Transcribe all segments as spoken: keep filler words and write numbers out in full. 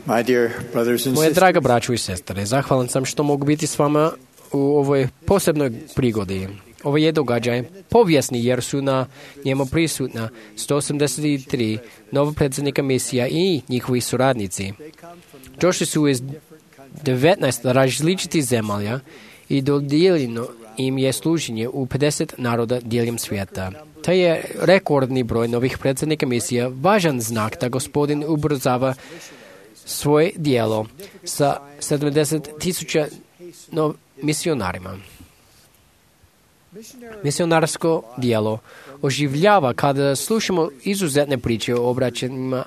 My dear brothers and Moje sisters, draga braćo i sestre, zahvalan sam što mogu biti s vama u ovoj posebnoj prigodi. Ovo je događaj povijesni jer su na njemu prisutna sto osamdeset tri novopredsjednika misija i njihovi suradnici. Došli su iz devetnaest različitih zemalja i dodijeljeno im je služenje u pedeset naroda diljem svijeta. To je rekordni broj novih predsjednika misija, važan znak da Gospodin ubrzava svoje dijelo sa sedamdeset tisuća no, misionarima. Misionarsko dijelo oživljava kada slušamo izuzetne priče o obraćanjima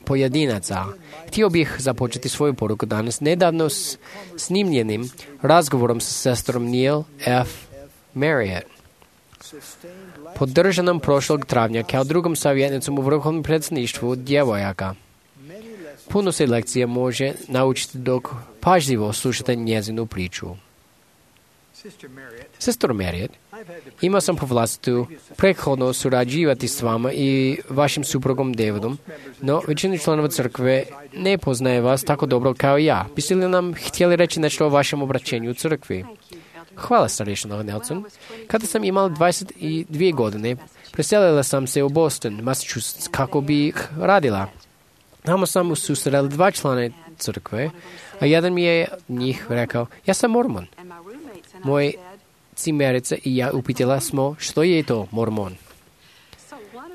pojedinaca. Htio bih započeti svoju poruku danas nedavno s snimljenim razgovorom sa sestrom Neil F. Marriott. Podržanom prošlog travnja kao drugom savjetnicom u vrhovnom predsjedništvu djevojaka. Puno se lekcije može naučiti dok pažljivo slušate njezinu priču. Sestro Marriott, imao sam po vlastitu prethodno surađivati s vama i vašim suprugom Davidom, no većina članova crkve ne poznaje vas tako dobro kao ja. Biste li nam htjeli reći nešto o vašem obraćenju u crkvi? Hvala, starješino Nelson. Kada sam imala dvadeset dvije godine, preselila sam se u Boston, Massachusetts, kako bih radila. Tamo sam susrela dva člana crkve, a jedan mi je njih rekao, ja sam mormon. Moj cimerica i ja upitala smo što je to mormon.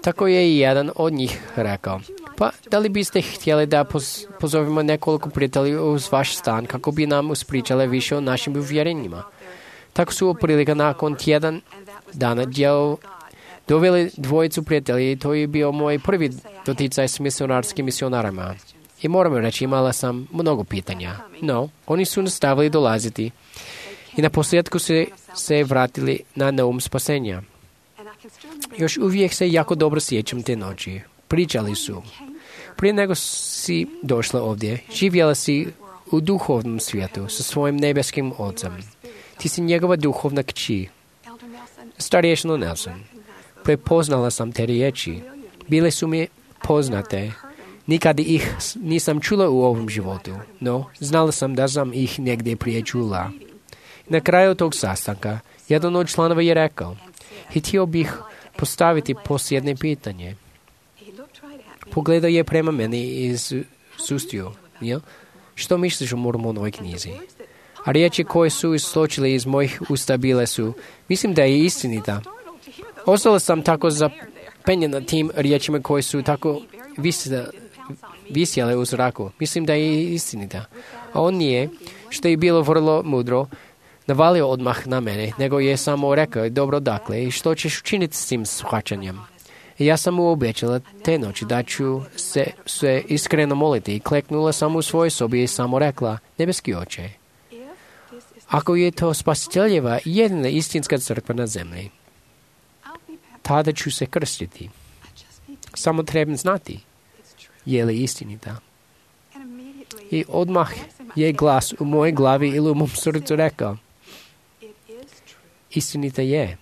Tako je i jedan od njih rekao, pa da li biste htjeli da poz, pozovemo nekoliko prijatelja uz vaš stan kako bi nam uspričale više o našim uvjerenjima. Tako su otprilike nakon tjedan dana djel doveli dvojicu prijatelja i to je bio moj prvi doticaj s misionarskim misionarima. I moram reći, imala sam mnogo pitanja. No, oni su nastavili dolaziti i na posljedku se, se vratili na naum spasenja. Još uvijek se jako dobro sjećam te noći. Pričali su. Prije nego si došla ovdje, živjela si u duhovnom svijetu sa svojim nebeskim ocem. Ti si njegova duhovna kći. Starješino Nelson, prepoznala sam te riječi. Bile su mi poznate. Nikad ih nisam čula u ovom životu, no znala sam da sam ih negdje prije čula. Na kraju tog sastanka, jedan od članova je rekao, htio bih postaviti posljednje pitanje. Pogledao je prema meni i sustio, jel? Što misliš o Mormonovoj knjizi? A riječi koje su isločile iz mojih usta bile su, mislim da je istinita. Ostala sam tako zapenjena tim riječima koje su tako visile, visjele u zraku. Mislim da je istinita. A on nije, što je bilo vrlo mudro, navalio odmah na mene, nego je samo rekao, dobro dakle, i što ćeš učiniti s tim shvaćanjem? I ja sam mu obećala te noći da ću se, se iskreno moliti i kleknula sam u svojoj sobi i samo rekla, nebeski oče, ako je to spasiteljeva jedina istinska crkva na zemlji, tada ću se krstiti. Samo trebam znati, je li istinita. I odmah je glas u mojoj glavi ili u mom srcu rekao, istinita je.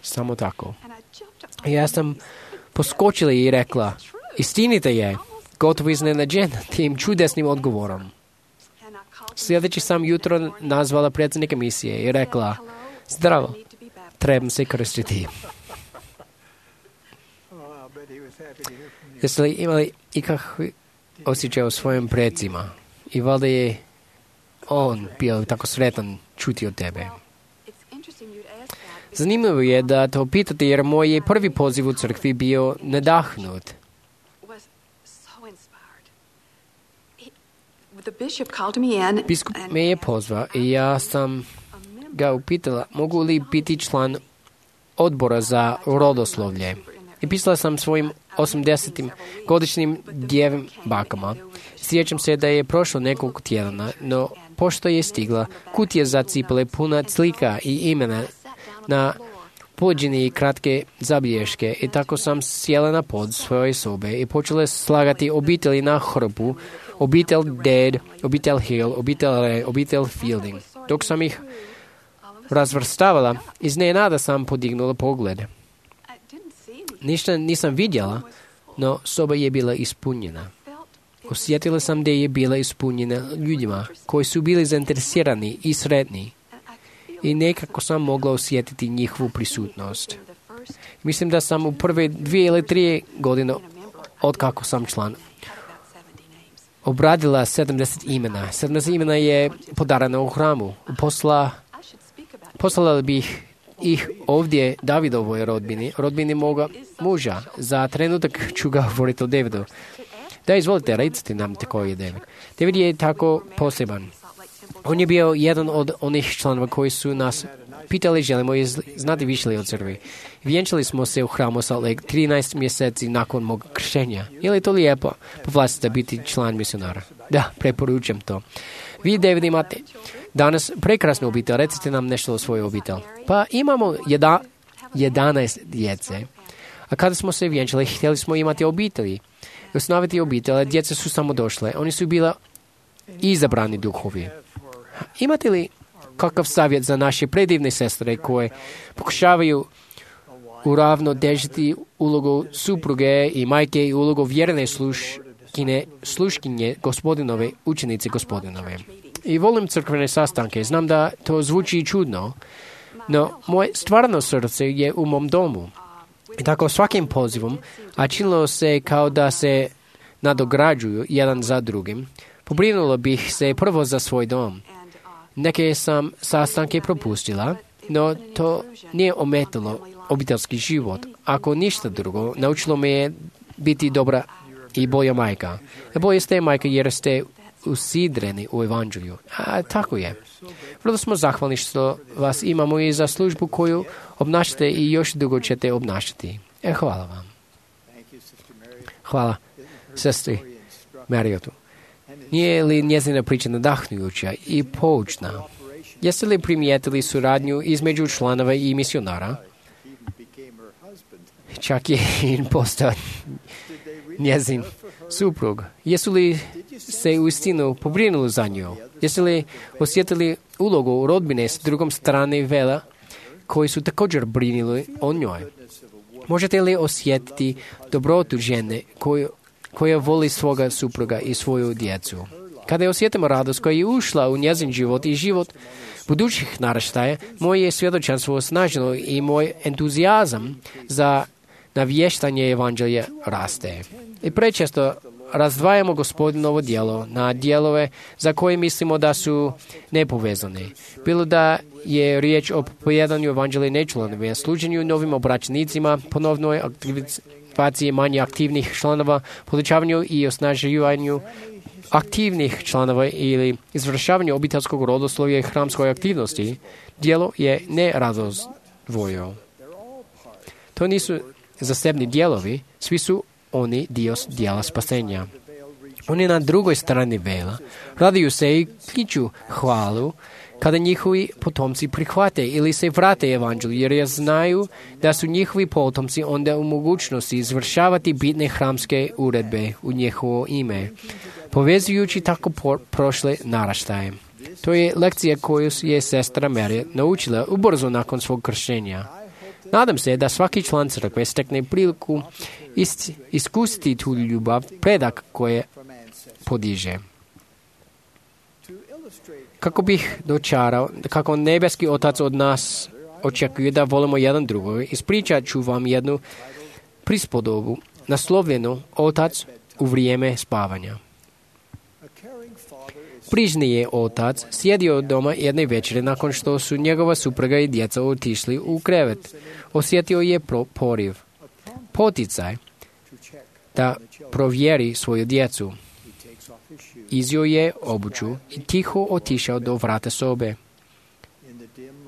Samo tako. I ja sam poskočila i rekla, istinita je. Gotovo iznenađena tim čudesnim odgovorom. Sljedeći sam jutro nazvala predsjednika misije i rekla, zdravo, trebam se krstiti. Jeste li imali ikakvi osjećaj o svojim predsima? I valjda je on bio tako sretan čuti od tebe. Zanimljivo je da to pitate jer moj je prvi poziv u crkvi bio nadahnut. Biskup me je pozvao i ja sam ga upitala mogu li biti član odbora za rodoslovlje. I pisala sam svojim osamdesetim godišnjim djevim bakama. Sjećam se da je prošlo nekoliko tjedana, no pošto je stigla kutija za cipele puna slika i imena na pođeni i kratke zabilješke i tako sam sjela na pod svoje sobe i počela slagati obitelji na hrpu, obitelj Dead, obitelj Hill, obitelj Ray, obitelj Fielding. Dok sam ih razvrstavala, iznenada sam podignula pogled. Ništa nisam vidjela, no soba je bila ispunjena. Osjetila sam da je bila ispunjena ljudima koji su bili zainteresirani i sretni. I nekako sam mogla osjetiti njihovu prisutnost. Mislim da sam u prve dvije ili tri godine od kako sam član obradila sedamdeset imena. sedamdeset imena je podarano u hramu. Posla, poslala bih ih ovdje Davidovoj rodbini, rodbini moga muža. Za trenutak ću ga govoriti o Davidu. Da, izvolite, recite nam tko je David. David je tako poseban. On je bio jedan od onih članova koji su nas pitali želimo znati više li o crkvi. Vjenčali smo se u hramu Salt Lake trinaest mjeseci nakon mog kršenja. Je li to lijepo povlastiti biti član misionara? Da, preporučam to. Vi, David, imate danas prekrasnu obitelj. Recite nam nešto o svojoj obitelji. Pa imamo jedna, jedanaest djece. A kada smo se vjenčali, htjeli smo imati obitelji. Osnoviti obitelj, djeca su samo došle. Oni su bila izabrani duhovi. Imate li kakav savjet za naše predivne sestre koje pokušavaju uravnotežiti ulogu supruge i majke i ulogu vjerne sluškine, sluškinje gospodinove, učenice gospodinove? I volim crkvene sastanke. Znam da to zvuči čudno, no moje stvarno srce je u mom domu. I tako svakim pozivom, a činilo se kao da se nadograđuju jedan za drugim, pobrinulo bih se prvo za svoj dom. Neke sam sastanke propustila, no to nije ometalo obiteljski život. Ako ništa drugo, naučilo me je biti dobra i bolja majka. Bolje ste majka jer ste usidreni u evanđelju. A tako je. Vrlo smo zahvalni što vas imamo i za službu koju obnašate i još dugo ćete obnašati. E, hvala vam. Hvala sestri Mariotu. Nije li njezina priča nadahnujuća i poučna? Jeste li primijetili suradnju između članova i misionara? Čak je i postao njezin suprug. Jesu li se uistinu pobrinuli za nju? Jeste li osjetili ulogu rodbine s drugom strane vela koji su također brinuli o njoj? Možete li osjetiti dobrotu žene koju, koja voli svoga supruga i svoju djecu? Kada osjetimo radost koja je ušla u njezin život i život budućih naraštaja, moje svjedočanstvo osnaženo i moj entuzijazam za navještanje evanđelja raste. I prečesto razdvajamo Gospodinovo djelo na dijelove za koje mislimo da su nepovezane. Bilo da je riječ o pojedanju evanđelja nečlanovima, služenju novim obraćenicima, ponovnoj aktivaciji manje aktivnih članova, povećavanju i osnaživanju aktivnih članova ili izvršavanju obiteljskog rodoslovja i hramskoj aktivnosti, djelo je nerazdvojeno. To nisu zasebni dijelovi, svi su oni dio dijela spasenja. Oni na drugoj strani vela raduju se i kliču hvalu kada njihovi potomci prihvate ili se vrate evanđelju, jer znaju da su njihovi potomci onda u mogućnosti izvršavati bitne hramske uredbe u njihovo ime, povezujući tako prošle naraštaje. To je lekcija koju je sestra Mary naučila ubrzo nakon svog kršenja. Nadam se da svaki član crkve stekne priliku ist, iskusiti tu ljubav, predak koje podiže. Kako bih dočarao, kako nebeski Otac od nas očekuje da volimo jedan drugog, ispričat ću vam jednu prispodobu naslovljenu Otac u vrijeme spavanja. Brižni je otac sjedio doma jedne večere nakon što su njegova supruga i djeca otišli u krevet. Osjetio je pro- poriv, poticaj da provjeri svoju djecu. Izio je obuću i tiho otišao do vrata sobe.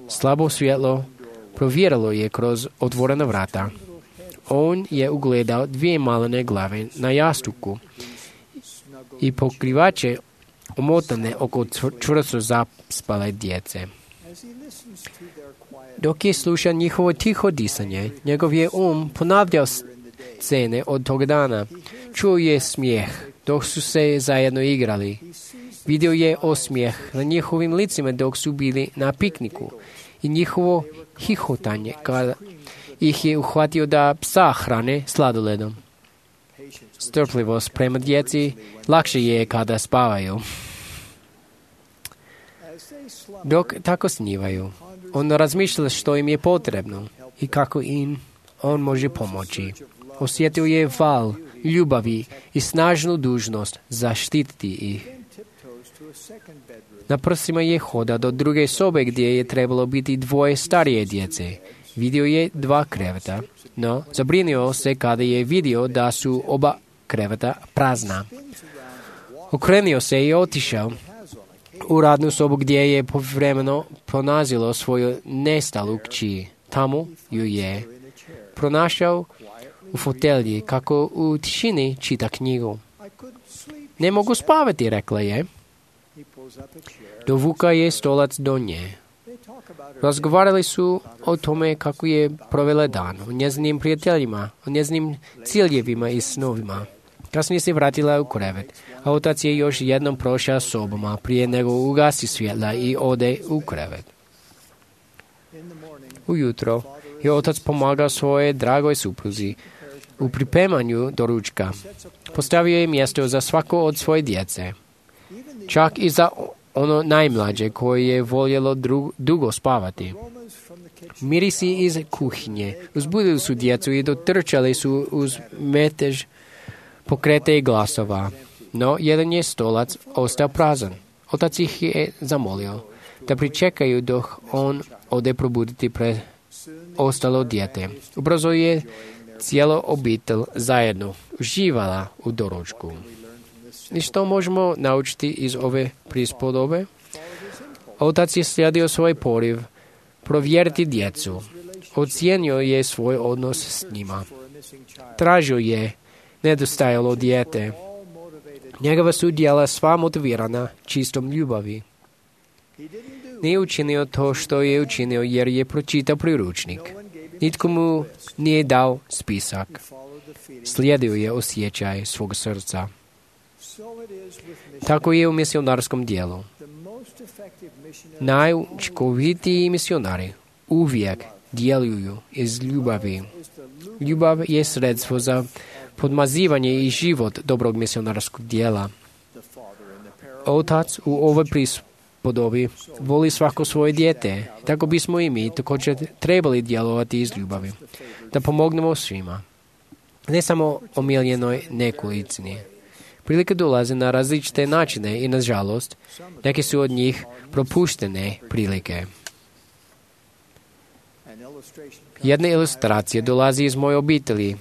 Slabo svjetlo provjerilo je kroz otvorena vrata. On je ugledao dvije malene glave na jastuku i pokrivače omotane oko čvrsto zaspale djece. Dok je slušao njihovo tiho disanje, njegov je um ponavljao scene od tog dana. Čuo je smijeh dok su se zajedno igrali. Vidio je osmijeh na njihovim licima dok su bili na pikniku i njihovo hihotanje kada ih je uhvatio da psa hrane sladoledom. strpljivost prema djeci, lakše je kada spavaju. Dok tako snivaju, on razmišlja što im je potrebno i kako im on može pomoći. Osjetio je val ljubavi i snažnu dužnost zaštititi ih. Na prsima je hoda do druge sobe gdje je trebalo biti dvoje starije djece. Vidio je dva kreveta, no zabrinio se kada je vidio da su oba kreveta prazna. Okrenio se i otišao u radnu sobu gdje je povremeno pronalazilo svoju nestalu kći. Tamo ju je pronašao u fotelji kako u tišini čita knjigu. Ne mogu spavati, rekla je. Dovuka je stolac do nje. Razgovarali su o tome kako je provela dan, o njezinim prijateljima, o njezinim ciljevima i snovima. Kasnije se vratila u krevet, a otac je još jednom prošao sobama prije nego ugasi svjetla i ode u krevet. Ujutro je otac pomagao svoje dragoj supruzi u pripremanju doručka. Postavio je mjesto za svako od svoje djece, čak i za ono najmlađe koje je voljelo dru- dugo spavati. Mirisi iz kuhinje uzbudili su djecu i dotrčali su uz metež pokrete i glasova. No, jedan je stolac ostao prazan. Otac ih je zamolio da pričekaju dok on ode probuditi pre ostalo dijete. Ubrzo je cijelo obitelj zajedno uživala u doručku. I što možemo naučiti iz ove prispodobe? Otac je slijedio svoj poriv provjeriti djecu. Ocijenio je svoj odnos s njima. Tražio je nedostajalo dijete. Njegova su djela sva motivirana čistom ljubavi. Nije učinio to što je učinio jer je pročitao priručnik. Nitko mu nije dao spisak. Slijedio je osjećaj svog srca. Tako je u misionarskom dijelu. Najučinkovitiji misionari uvijek djeluju iz ljubavi. Ljubav je sredstvo za podmazivanje i život dobrog misionarskog dijela. Otac u ovoj prispodobi voli svako svoje dijete. Tako bismo i mi također trebali djelovati iz ljubavi. Da pomognemo svima. Ne samo omiljenoj nekolicini. Prilike dolaze na različite načine i, nažalost, neke su od njih propuštene prilike. Jedna ilustracija dolazi iz moje obitelji.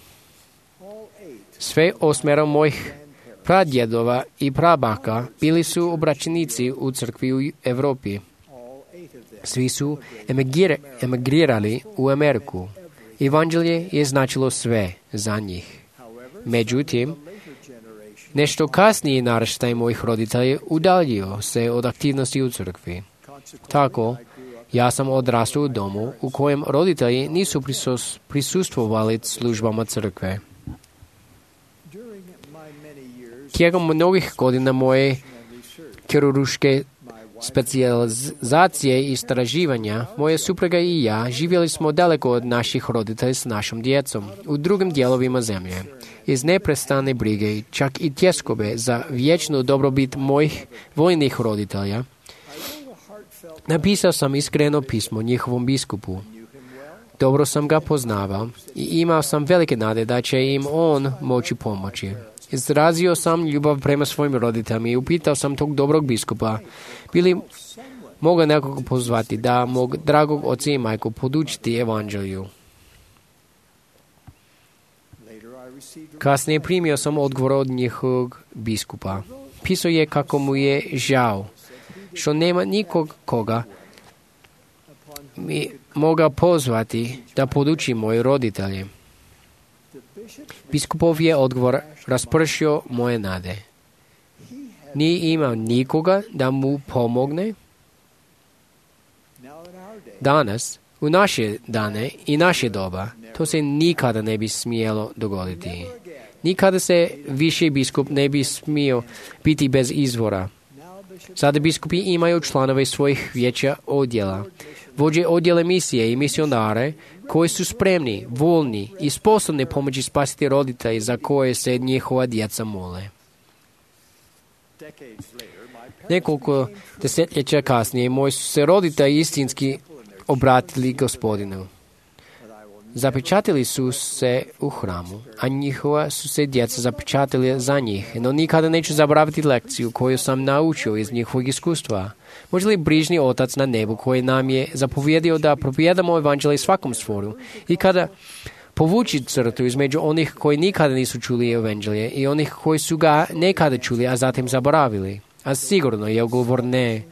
Sve osmero mojih pradjedova i prabaka bili su obraćenici u crkvi u Europi. Svi su emigrir- emigrirali u Ameriku. Evanđelje je značilo sve za njih. Međutim, nešto kasniji naraštaj mojih roditelja udaljio se od aktivnosti u crkvi. Tako, ja sam odrastao u domu u kojem roditelji nisu prisus, prisustvovali službama crkve. Tijekom mnogih godina moje kirurške specijalizacije i istraživanja, moja supruga i ja živjeli smo daleko od naših roditelja s našom djecom, u drugim dijelovima zemlje. Iz neprestane brige, čak i tjeskobe za vječnu dobrobit mojih vojnih roditelja, napisao sam iskreno pismo njihovom biskupu. Dobro sam ga poznavao i imao sam velike nade da će im on moći pomoći. Izrazio sam ljubav prema svojim roditeljima i upitao sam tog dobrog biskupa, bili mogu nekog pozvati da mog dragog oca i majku podučiti evanđelju. Kasnije primio sam odgovor od njihovog biskupa. Pisao je kako mu je žao što nema nikog koga mi moga pozvati da poduči moje roditelje. Biskupov je odgovor raspršio moje nade. Nije imao nikoga da mu pomogne. Danas, u naše dane i naše doba, to se nikada ne bi smjelo dogoditi. Nikada se više biskup ne bi smio biti bez izvora. Sada biskupi imaju članove svojih vijeća odjela. vođe odjela misije i misionare koji su spremni, voljni i sposobni pomoći spasiti roditelji za koje se njihova djeca mole. Nekoliko desetljeća kasnije moji su se roditelji istinski obratili Gospodinu. Zapečatili su se u hramu, a njihova su se djeca zapečatili za njih, no nikada neću zaboraviti lekciju koju sam naučio iz njihovog iskustva. Može li brižni Otac na nebu koji nam je zapovjedio da propovijedamo evanđelje svakom stvoru i kada povući crtu između onih koji nikada nisu čuli evanđelje i onih koji su ga nekada čuli, a zatim zaboravili? A sigurno je odgovor ne.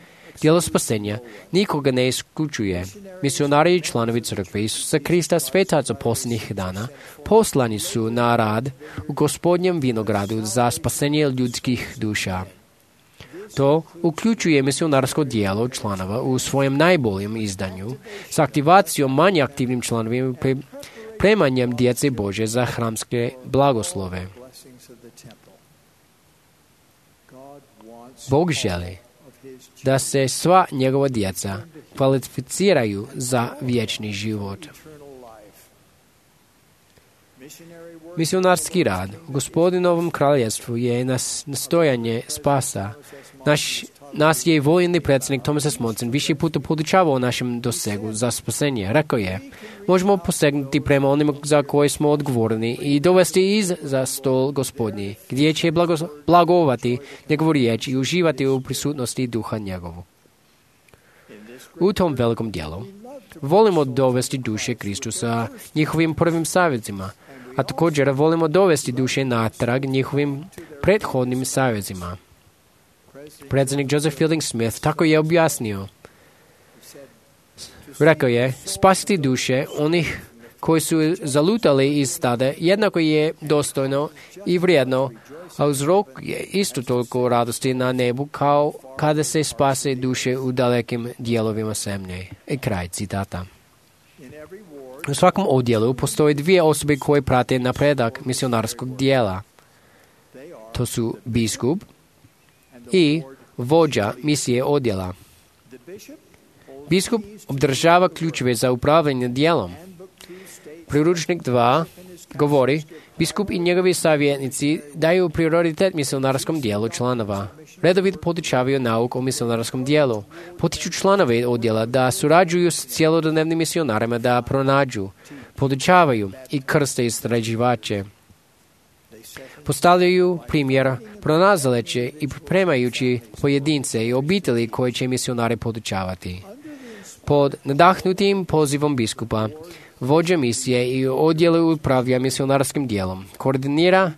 Djelo spasenja nikoga ne isključuje. Misionari i članovi crkve Isusa Krista, svetaca posljednjih dana, poslani su na rad u Gospodnjem vinogradu za spasenje ljudskih duša. To uključuje misionarsko djelo članova u svojem najboljem izdanju s aktivacijom manje aktivnim članovima pre, premanjem djece Bože za hramske blagoslove. Bog želi da se sva njegova djeca kvalificiraju za vječni život. Misionarski rad u Gospodinovom kraljevstvu je nas nastojanje spasa. Naš, nas je voljeni predsjednik Thomas S. Monson više puta podučavao o našem dosegu za spasenje. Rekao je, možemo posegnuti prema onima za koje smo odgovorni i dovesti iz za stol Gospodnji, gdje će blago, blagovati njegovu riječ i uživati u prisutnosti duha njegovu. U tom velikom dijelu volimo dovesti duše Kristu sa njihovim prvim savjetima, a također volimo dovesti duše natrag njihovim prethodnim savjetima. Predsjednik Joseph Fielding Smith tako je objasnio. Rekao je, spasiti duše onih koji su zalutali iz stada jednako je dostojno i vrijedno, a uzrok je isto toliko radosti na nebu kao kada se spase duše u dalekim dijelovima zemlje. I kraj citata. U svakom odjelu postoje dvije osobe koje prate napredak misionarskog dijela. To su biskup i vođa misije odjela. Biskup obdržava ključeve za upravljanje dijelom. Priručnik dva govori, biskup i njegovi savjetnici daju prioritet misionarskom dijelu članova. Redovito podučavaju nauk o misionarskom dijelu. Potiču članove odjela da surađuju s cjelodnevnim misionarima da pronađu, podučavaju i krste istraživače. Postavljaju primjera pronalazeće i pripremajući pojedince i obitelji koje će misionari podučavati. Pod nadahnutim pozivom biskupa, vođa misije i odjelu upravlja misionarskim dijelom, koordinira,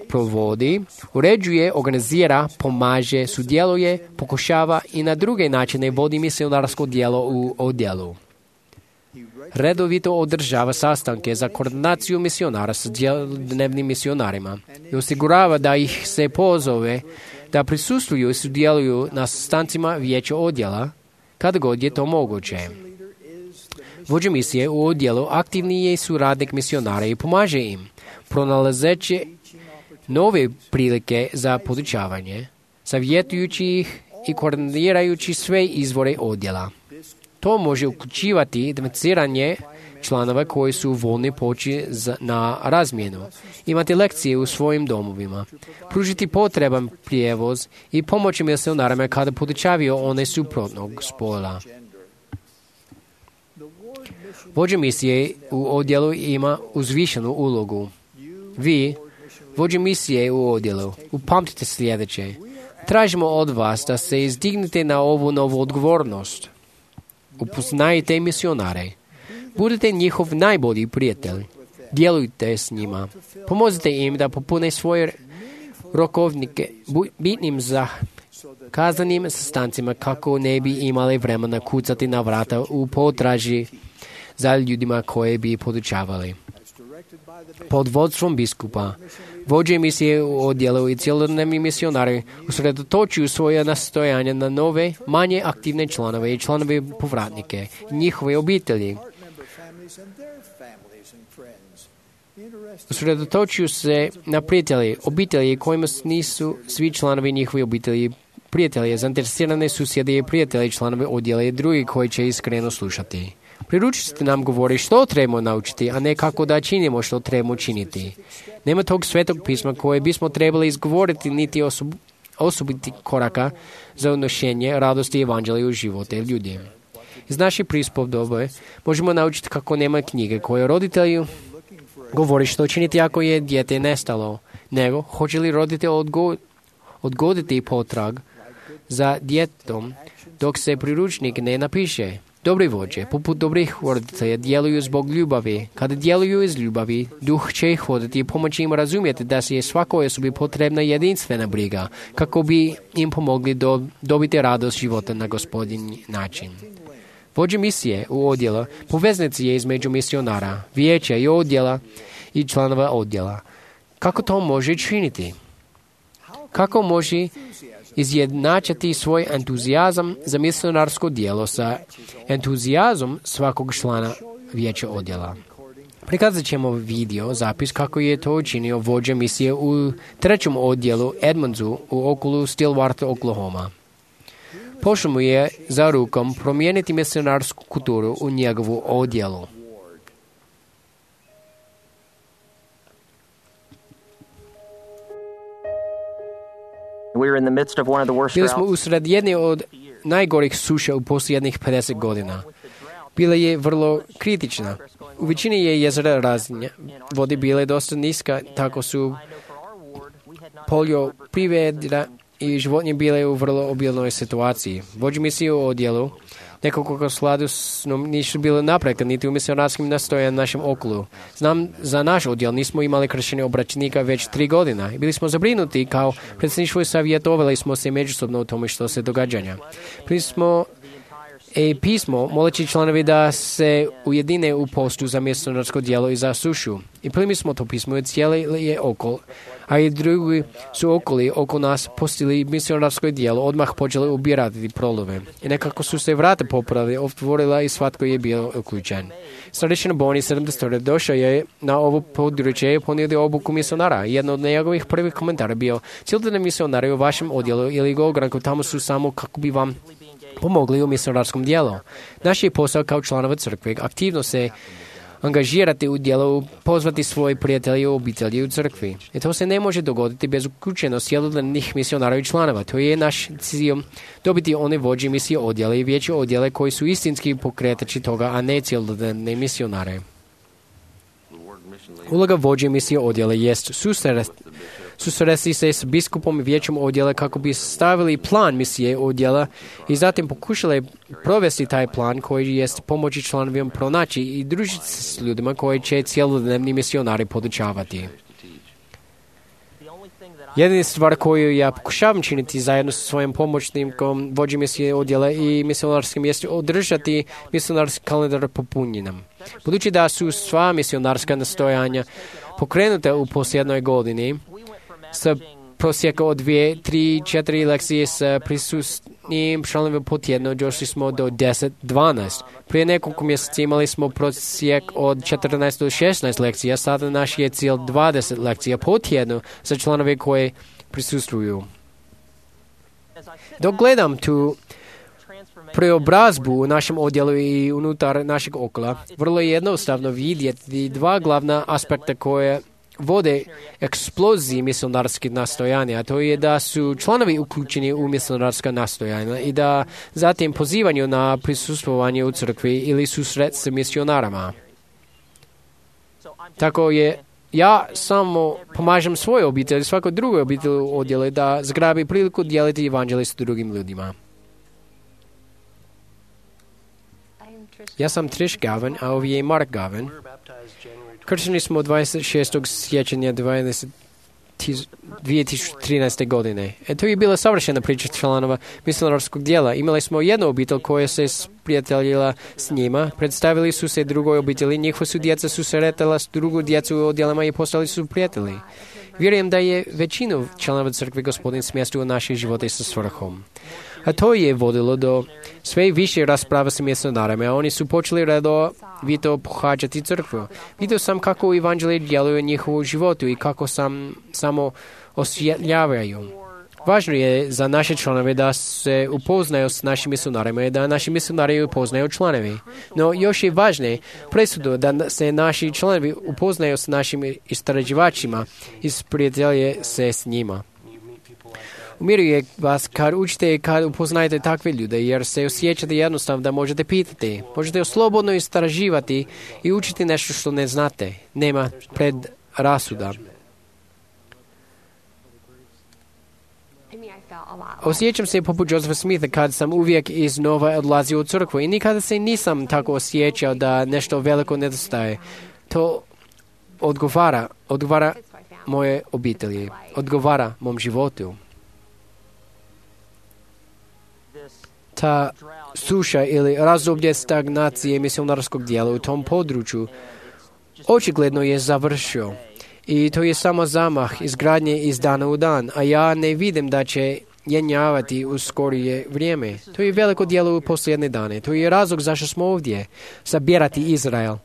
provodi, uređuje, organizira, pomaže, sudjeluje, pokušava i na druge načine vodi misionarsko dijelo u odjelu. Redovito održava sastanke za koordinaciju misionara s dnevnim misionarima i osigurava da ih se pozove da prisustvuju i sudjeluju na sastancima vijeća odjela kada god je to moguće. Vođa misije u odjelu aktivni je suradnik misionara i pomaže im, pronalazeći nove prilike za podučavanje, savjetujući ih i koordinirajući sve izvore odjela. To može uključivati identificiranje članova koji su voljni poći na razmjenu, imati lekcije u svojim domovima, pružiti potreban prijevoz i pomoći misionarima kada podučavaju one suprotnog spola. Vođa misije u odjelu ima uzvišenu ulogu. Vi, vođa misije u odjelu, upamtite sljedeće. Tražimo od vas da se izdignete na ovu novu odgovornost. Upoznajte misionare. Budite njihov najbolji prijatelj. Djelujte s njima. Pomozite im da popune svoje rokovnike bitnim za kazanim sastancima kako ne bi imali vremena kucati na vrata u potraži za ljudima koje bi podučavali. Pod vodstvom biskupa, vođe misije u odjelu i cjelodnevni misionari usredotočuju svoje nastojanja na nove, manje aktivne članove i članove povratnike i njihove obitelji. Usredotočuju se na prijatelji, obitelji kojima nisu svi članovi njihove obitelji prijatelje, zainteresirane susjede i prijatelje, članove odjela i drugi koji će iskreno slušati. Priručite nam govori što trebamo naučiti, a ne kako da činimo što trebamo činiti. Nema tog svetog pisma koje bismo trebali izgovoriti niti osob, osobiti koraka za unošenje radosti evanđelja u živote ljudi. Iz naših prispodobe možemo naučiti kako nema knjige koje roditelji govori što činiti ako je dijete nestalo, nego hoće li roditelj odgo, odgoditi potrag za djetetom dok se priručnik ne napiše. Dobri vođe, poput dobrih roditelja, djeluju zbog ljubavi. Kada djeluju iz ljubavi, duh će ih voditi i pomoći im razumjeti da se je svakoj osobi potrebna jedinstvena briga, kako bi im pomogli do, dobiti radost života na gospodin način. Vođe misije u odjela poveznici je između misionara, vijeća i odjela i članova odjela. Kako to može činiti? Kako može izjednačiti svoj entuzijazam za misionarsko djelo sa entuzijazmom svakog člana vijeća odjela? Prikazat ćemo video zapis kako je to učinio vođa misije u trećem odjelu Edmondsu u okolu Stillwater, Oklahoma. Pošlo mu je za rukom promijeniti misionarsku kulturu u njegovu odjelu. Bili smo usred jedne od najgorih suša u posljednjih pedeset godina. Bila je vrlo kritična. U većini je jezera razine vode bile dosta niska, tako su poljoprivreda i životinje bile u vrlo obilnoj situaciji. Vođe misije u odjelu nekoliko sladu nisu bile napreka niti u misionarskim nastojanjima našem okolu. Znam, za naš odjel nismo imali kršćenje obraćenika već tri godina i bili smo zabrinuti kao predsjedništvo i savjetovali smo se međusobno o tome što se događanja. Primi smo i pismo moleći članovi da se ujedine u postu za misionarsko djelo i za sušu. I primi smo to pismo i cijeli je okol, a i drugi su okoli oko nas postili misionarsko djelo, odmah počeli ubirati prolove. I nekako su se vrata popravili, otvorila i svatko je bio uključen. Starešina Boni sedamdeset došao je na ovo područje i ponio obuku misionara. Jedno od njegovih prvih komentara bio: cijelodnevni misionari u vašem odjelu ili ogranku tamo su samo kako bi vam pomogli u misionarskom djelu. Naš je posao kao članova crkve aktivno se angažirati u djelu, pozvati svoje prijatelje i obitelji u crkvi. I to se ne može dogoditi bez uključenosti cjelodnevnih misionara i članova. To je naš cilj dobiti one vođe misije odjela i vijeće odjele koji su istinski pokretači toga, a ne cjelodnevne misionare. Uloga vođe misije odjela jest susresti se s biskupom i vijećem odjela kako bi stavili plan misije odjela i zatim pokušali provesti taj plan koji jest pomoći članovima pronaći i družiti se s ljudima koji će cjelodnevni misionari podučavati. Jedina stvar koju ja pokušavam činiti zajedno sa svojim pomoćnikom vođe misije odjela i misionarskim jest održati misionarski kalendar popunjenom. Budući da su sva misionarska nastojanja pokrenuta u posljednoj godini, sa prosjeka od dvije, tri, četiri lekcije sa prisutnim članovima po tjedno došli smo do deset, dvanaest. Prije nekoliko mjeseci imali smo prosjek od četrnaest do šesnaest lekcija, sada naš je cilj dvadeset lekcija po tjednu za članove koje prisustvuju. Dok gledam tu preobrazbu u našem odjelu i unutar našeg okola, vrlo je jednostavno vidjeti dva glavna aspekta koje vode eksploziji misionarskih nastojanja, a to je da su članovi uključeni u misionarska nastojanja i da zatim pozivanju na prisustvovanje u crkvi ili susret s misionarama. Tako je, ja samo pomažem svojoj obitelji, svakoj drugoj obitelji u odjelu da zgrabi priliku dijeliti evanđelje s drugim ljudima. Ja sam Trish Gavin, a ovdje je Mark Gavin. Kršteni smo dvadeset šestog siječnja dvije tisuće trinaeste. godine. E to je bila savršena priča članova misionarskog djela. Imali smo jednu obitelj koja se sprijateljila s njima, predstavili su se drugoj obitelji, njihova su djeca su se retala s drugu djecu u odjelama i postali su prijatelji. Vjerujem da je većinu članova crkve Gospodin smjestio u naše živote sa svrhom. A to je vodilo do sve više rasprava s misionarima, a oni su počeli redovito pohađati crkvu. Vidio sam kako evanđelje djeluju u njihovu životu i kako sam samo osvjetljavaju. Važno je za naše članove da se upoznaju s našim misionarima i da naši misionari upoznaju članovi. No još je važnije presudu da se naši članovi upoznaju s našim istraživačima i sprijatelje se s njima. Umiruje vas kad učite i kad upoznajete takve ljude, jer se osjećate jednostavno da možete pitati. Možete slobodno istraživati i učiti nešto što ne znate. Nema predrasuda. Osjećam se poput Josepha Smitha kad sam uvijek iznova odlazio u crkvu i nikada se nisam tako osjećao da nešto veliko nedostaje. To odgovara, odgovara moje obitelji, odgovara mom životu. Ta suša ili razdoblje stagnacije misionarskog dijela u tom području očigledno je završio. I to je samo zamah izgradnje iz dana u dan, a ja ne vidim da će jenjavati u skorije vrijeme. To je veliko djelo u posljednje dane. To je razlog zašto smo ovdje, sabirati Izrael.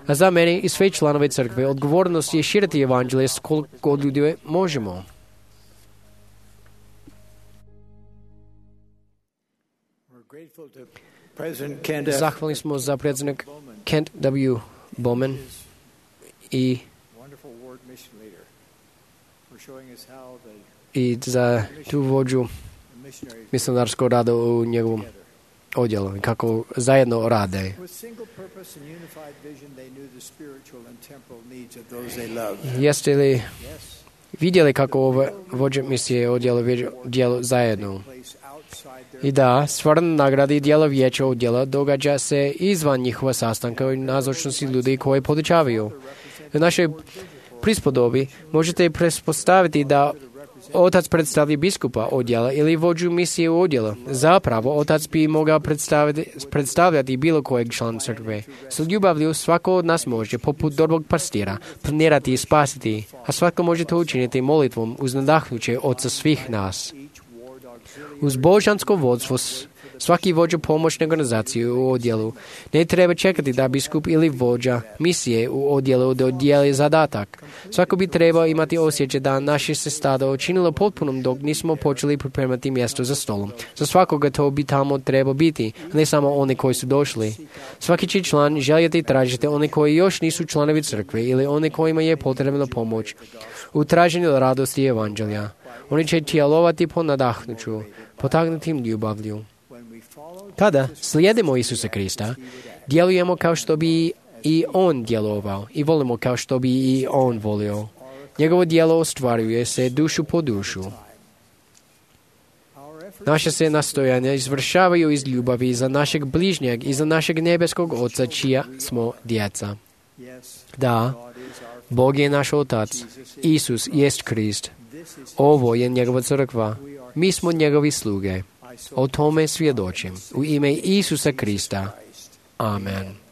A za mene i sve članove crkve odgovornost je širiti evanđelje s koliko ljudi možemo. Zahvalni smo za predsjednik Kent W. Bowman i i za tu vođu misionarskog rada u njegovom odjelu i kako zajedno rade. Jeste li vidjeli kako ove vođe misije odjela djelo zajedno? I da, stvarno nagradi dijela vijeća odjela događa se izvan njihova sastanka i nazočnosti ljudi koji podučavaju. U našoj prispodobi možete pretpostaviti da otac predstavlja biskupa odjela ili vođu misije u odjela. Zapravo, otac bi mogao predstavljati bilo kojeg člana crkve. S ljubavlju svako od nas može, poput dobrog pastira, planirati i spasiti, a svako može to učiniti molitvom uz nadahnuće Oca svih nas. Uz božansko vodstvo svaki vođa pomoćne organizacije u odjelu ne treba čekati da biskup ili vođa misije u odjelu dodijeli zadatak. Svako bi trebao imati osjećaj da naše se stada učinilo potpunom dok nismo počeli pripremati mjesto za stolom. Za svakoga to bi tamo trebao biti, ne samo oni koji su došli. Svaki će član željeti tražiti oni koji još nisu članovi crkve ili oni kojima je potrebna pomoć u traženju radosti evanđelja. Oni će djelovati po nadahnuću, potaknutim ljubavlju. Kada slijedimo Isusa Krista, djelujemo kao što bi i On djelovao i volimo kao što bi i On volio. Njegovo djelo ostvaruje se dušu po dušu. Naše se nastojanja izvršavaju iz ljubavi za našeg bližnjeg i za našeg nebeskog Oca čija smo djeca. Da, Bog je naš Otac, Isus jest Krist. Ovo je njegova crkva. Mi smo njegovi sluge. O tome svjedočim. U ime Isusa Krista. Amen.